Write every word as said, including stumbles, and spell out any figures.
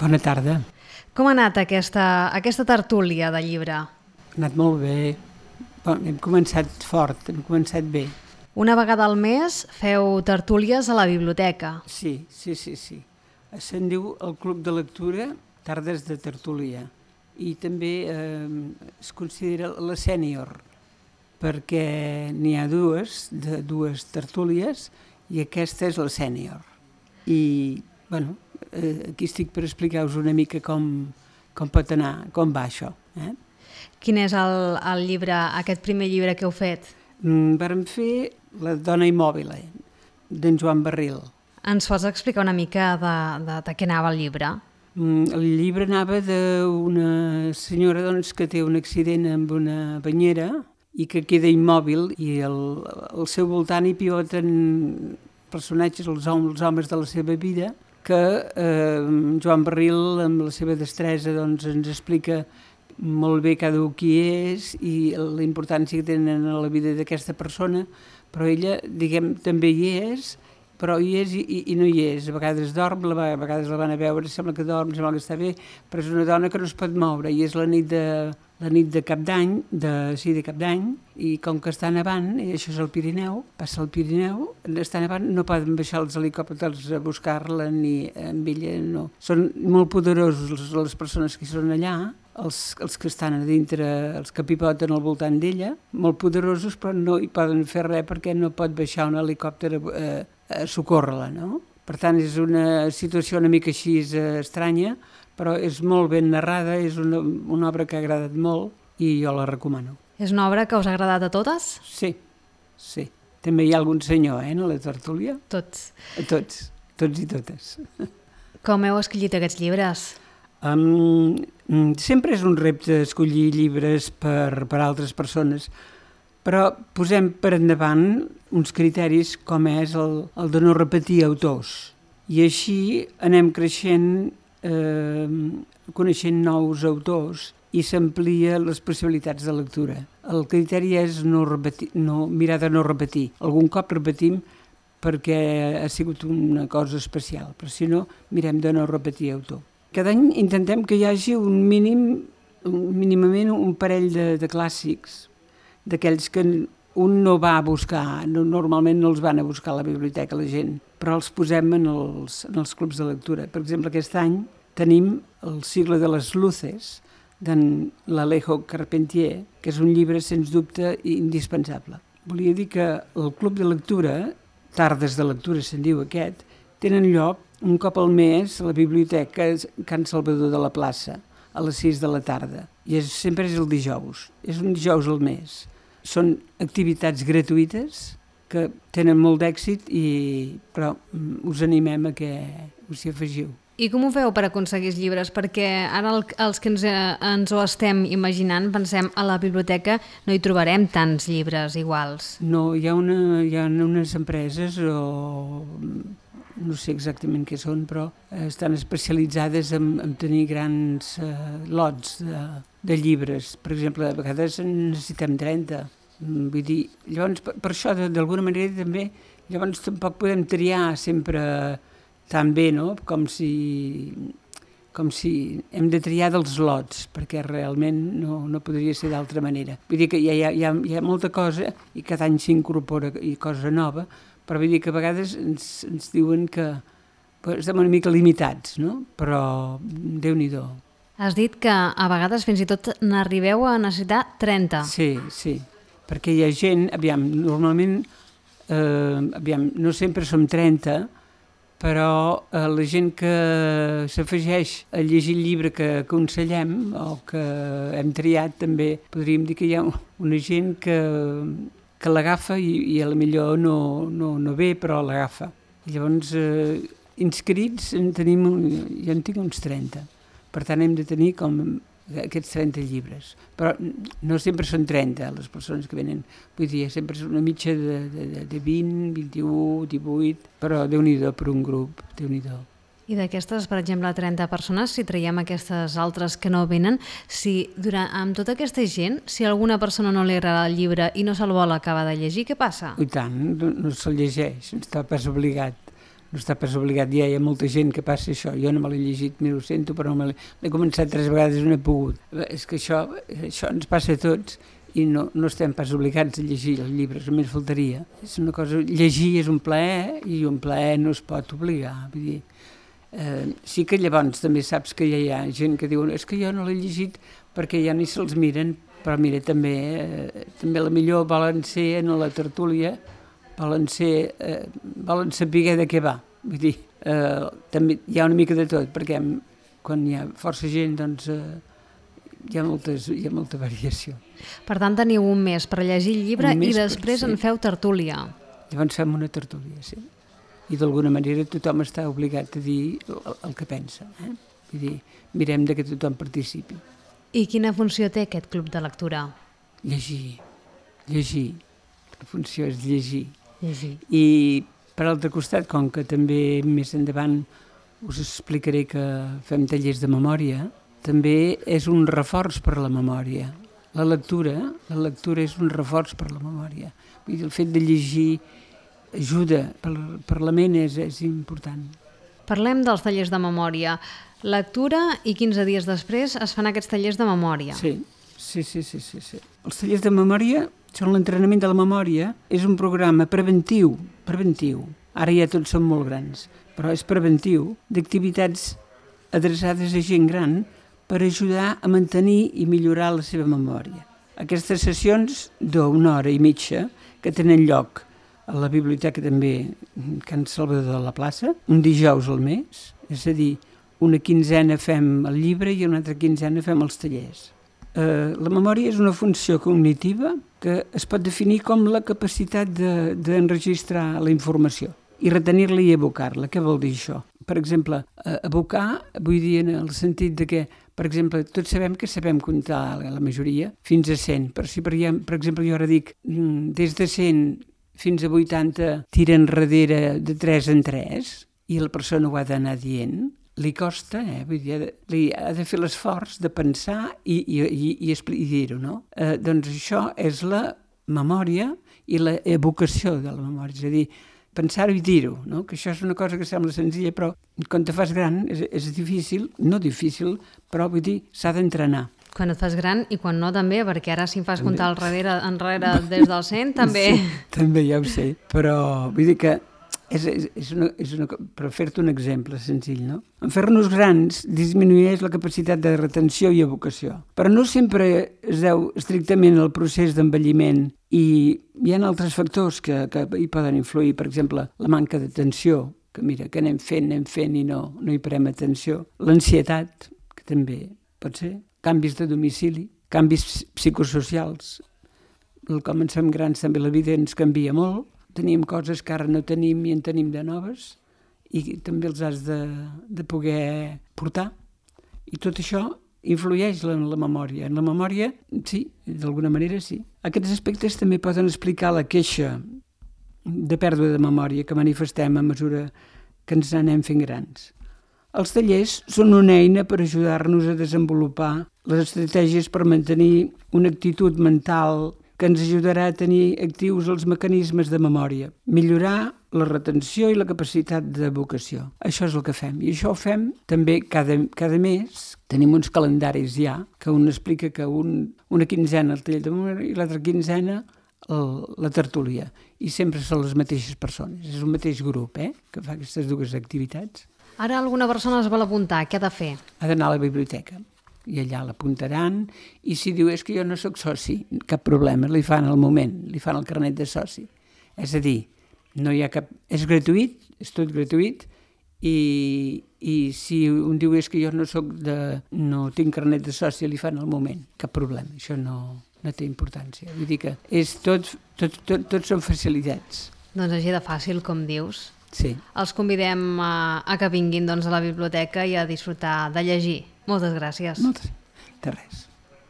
Bona tarda. Com ha anat aquesta, aquesta tertúlia de llibre? Ha anat molt bé. Bon, hem començat fort, hem començat bé. Una vegada al mes feu tertúlies a la biblioteca. Sí, sí, sí, sí. Se'n diu el Club de Lectura Tardes de Tertúlia. I també eh, es considera la sènior, perquè n'hi ha dues, de dues tertúlies, i aquesta és la sènior. I, bueno, eh, aquí estic per explicar-vos una mica com, com pot anar, com va això. Eh? Quin és el, el llibre, aquest primer llibre que heu fet? Mm, vàrem fer La dona immòbil, d'en Joan Barril. Ens pots explicar una mica de, de, de què anava el llibre? Mm, el llibre anava d'una senyora doncs, que té un accident amb una banyera i que queda immòbil, i el, al seu voltant hi pivoten personatges, els homes, els homes de la seva vida, que eh, Joan Barril, amb la seva destresa, doncs, ens explica molt bé cada un qui és i la importància que tenen a la vida d'aquesta persona, però ella, diguem, també hi és, però hi és i, i no hi és. A vegades dorm, a vegades la van a veure, sembla que dorm, sembla que està bé, però és una dona que no es pot moure, i és la nit de, la nit de Cap d'Any, de, sí, de Cap d'Any, i com que està nevant, i això és el Pirineu, passa el Pirineu, està nevant, no poden baixar els helicòpters a buscar-la, ni amb ella, no. Són molt poderosos les persones que són allà, els, els que estan a dintre, els que pivoten al voltant d'ella, molt poderosos, però no hi poden fer res perquè no pot baixar un helicòpter a, a socórrer-la, no? Per tant, és una situació una mica així eh, estranya, però és molt ben narrada, és una, una obra que ha agradat molt i jo la recomano. És una obra que us ha agradat a totes? Sí, sí. També hi ha algun senyor, eh, en la tertúlia? Tots. A tots, tots i totes. Com heu escollit aquests llibres? Um, sempre és un repte escollir llibres per, per altres persones, però posem per endavant uns criteris com és el, el de no repetir autors. I així anem creixent, eh, coneixent nous autors i s'amplia les possibilitats de lectura. El criteri és no repetir, no, mirar de no repetir. Algun cop repetim perquè ha sigut una cosa especial, però si no, mirem de no repetir autor. Cada any intentem que hi hagi un mínim, mínimament un parell de, de clàssics, d'aquells que un no va a buscar, no, normalment no els van a buscar a la biblioteca la gent, però els posem en els, en els clubs de lectura. Per exemple, aquest any tenim El siglo de les luces, d'en l'Alejo Carpentier, que és un llibre, sens dubte, indispensable. Volia dir que el club de lectura, tardes de lectura se'n diu aquest, tenen lloc un cop al mes a la biblioteca Can Salvador de la Plaça, a les sis de la tarda. I és, sempre és el dijous, és un dijous al mes. Són activitats gratuïtes que tenen molt d'èxit, i, però us animem a que us hi afegiu. I com ho feu per aconseguir els llibres? Perquè ara el, els que ens, ens ho estem imaginant, pensem, a la biblioteca no hi trobarem tants llibres iguals. No, hi ha, una, hi ha unes empreses o no sé exactament què són, però estan especialitzades en, en tenir grans eh, lots de, de llibres. Per exemple, a vegades en necessitem trenta. Vull dir, llavors, per, per això, d'alguna manera, també, llavors tampoc podem triar sempre tan bé, no? Com si, com si hem de triar dels lots, perquè realment no, no podria ser d'altra manera. Vull dir que hi ha, hi ha, hi ha molta cosa i cada any s'incorpora cosa nova, però vull dir que a vegades ens, ens diuen que pues, estem una mica limitats, no? Però Déu-n'hi-do. Has dit que a vegades fins i tot n'arribeu a necessitar trenta. Sí, sí, perquè hi ha gent, aviam, normalment, eh, aviam, no sempre som trenta, però eh, la gent que s'afegeix a llegir el llibre que aconsellem o que hem triat, també podríem dir que hi ha una gent que que l'agafa i, i a la millor no, no, no ve, però l'agafa. I llavors, eh, inscrits en tenim, ja en tinc uns trenta. Per tant, hem de tenir com aquests trenta llibres. Però no sempre són trenta les persones que venen. Vull dir, sempre és una mitja de, de, de vint, vint-i-u, divuit, però Déu-n'hi-do per un grup, Déu-n'hi-do. I d'aquestes, per exemple, trenta persones, si traiem aquestes altres que no venen, si durant, amb tota aquesta gent, si a alguna persona no li agrada el llibre i no se'l vol acabar de llegir, què passa? I tant, no, no se'l llegeix, no està pas obligat. no està pas obligat. Ja hi ha molta gent que passa això. Jo no me l'he llegit, m'ho sento, però no me l'he... L'he començat tres vegades i no he pogut. És que això, això ens passa a tots i no, no estem pas obligats a llegir els llibres, només faltaria. És una cosa... Llegir és un plaer i un plaer no es pot obligar. Vull dir, eh, sí que llavors també saps que ja hi ha gent que diu és que jo no l'he llegit perquè ja ni se'ls miren, però mira, també, eh, també la millor volen ser en la tertúlia, volen, ser, eh, volen saber de què va. Vull dir, eh, també hi ha una mica de tot, perquè quan hi ha força gent, doncs, eh, hi ha, moltes, hi ha molta variació. Per tant, teniu un mes per llegir el llibre i després per, sí. en feu tertúlia. Llavors fem una tertúlia, sí. I d'alguna manera tothom està obligat a dir el, el que pensa. Eh? Vull dir, mirem de que tothom participi. I quina funció té aquest club de lectura? Llegir, llegir. La funció és llegir. Llegir. I per altre costat, com que també més endavant us explicaré que fem tallers de memòria, també és un reforç per a la memòria. La lectura, la lectura és un reforç per a la memòria. Vull dir, el fet de llegir ajuda, per, per la ment és, és important. Parlem dels tallers de memòria. Lectura i quinze dies després es fan aquests tallers de memòria. Sí, sí, sí, sí, sí, sí. Els tallers de memòria són l'entrenament de la memòria, és un programa preventiu, preventiu. Ara ja tots són molt grans, però és preventiu, d'activitats adreçades a gent gran per ajudar a mantenir i millorar la seva memòria. Aquestes sessions d'una hora i mitja que tenen lloc a la biblioteca també Can Salvador de la Plaça, un dijous al mes, és a dir, una quinzena fem el llibre i una altra quinzena fem els tallers. Eh, la memòria és una funció cognitiva que es pot definir com la capacitat de, d'enregistrar la informació i retenir-la i evocar-la. Què vol dir això? Per exemple, eh, evocar, vull dir en el sentit de que, per exemple, tots sabem que sabem comptar la majoria fins a cent, però si per, per exemple jo ara dic des de cent fins a vuitanta tira enrere de tres en tres i la persona ho ha d'anar dient, li costa, eh? Vull dir, li ha de fer l'esforç de pensar i, i, i, i, i dir-ho, no? Eh, doncs això és la memòria i la evocació de la memòria, és a dir, pensar-ho i dir-ho, no? Que això és una cosa que sembla senzilla, però quan te fas gran és, és difícil, no difícil, però vull dir, s'ha d'entrenar. Quan et fas gran i quan no també, perquè ara si em fas també comptar al darrere, enrere des del cent, també... Sí, també ja ho sé, però vull dir que És, és, és una, és una, per fer-te un exemple senzill, no? En fer-nos grans disminueix la capacitat de retenció i evocació, però no sempre es deu estrictament al procés d'envelliment i hi ha altres factors que, que hi poden influir, per exemple, la manca d'atenció, que mira, que anem fent, anem fent i no, no hi parem atenció, l'ansietat, que també pot ser, canvis de domicili, canvis psicosocials, com ens fem grans també la vida ens canvia molt, tenim coses que ara no tenim i en tenim de noves i també els has de, de poder portar. I tot això influeix en la memòria. En la memòria, sí, d'alguna manera sí. Aquests aspectes també poden explicar la queixa de pèrdua de memòria que manifestem a mesura que ens anem fent grans. Els tallers són una eina per ajudar-nos a desenvolupar les estratègies per mantenir una actitud mental que ens ajudarà a tenir actius els mecanismes de memòria, millorar la retenció i la capacitat d'evocació. Això és el que fem. I això ho fem també cada, cada mes. Tenim uns calendaris ja, que un explica que un, una quinzena el taller de memòria i l'altra quinzena el, la tertúlia. I sempre són les mateixes persones. És un mateix grup, eh?, que fa aquestes dues activitats. Ara alguna persona es vol apuntar. Què ha de fer? Ha d'anar a la biblioteca. I allà l'apuntaran, i si diu és que jo no sóc soci, cap problema, li fan al moment, li fan el carnet de soci. És a dir, no hi ha cap... és gratuït, és tot gratuït, i, i si un diu és que jo no soc de... no tinc carnet de soci, li fan al moment, cap problema, això no, no té importància. Vull dir que és tot, tot, tot, tot són facilitats. Doncs així de fàcil, com dius. Sí. Els convidem a, a que vinguin doncs, a la biblioteca i a disfrutar de llegir. Moltes gràcies. Moltes. De res.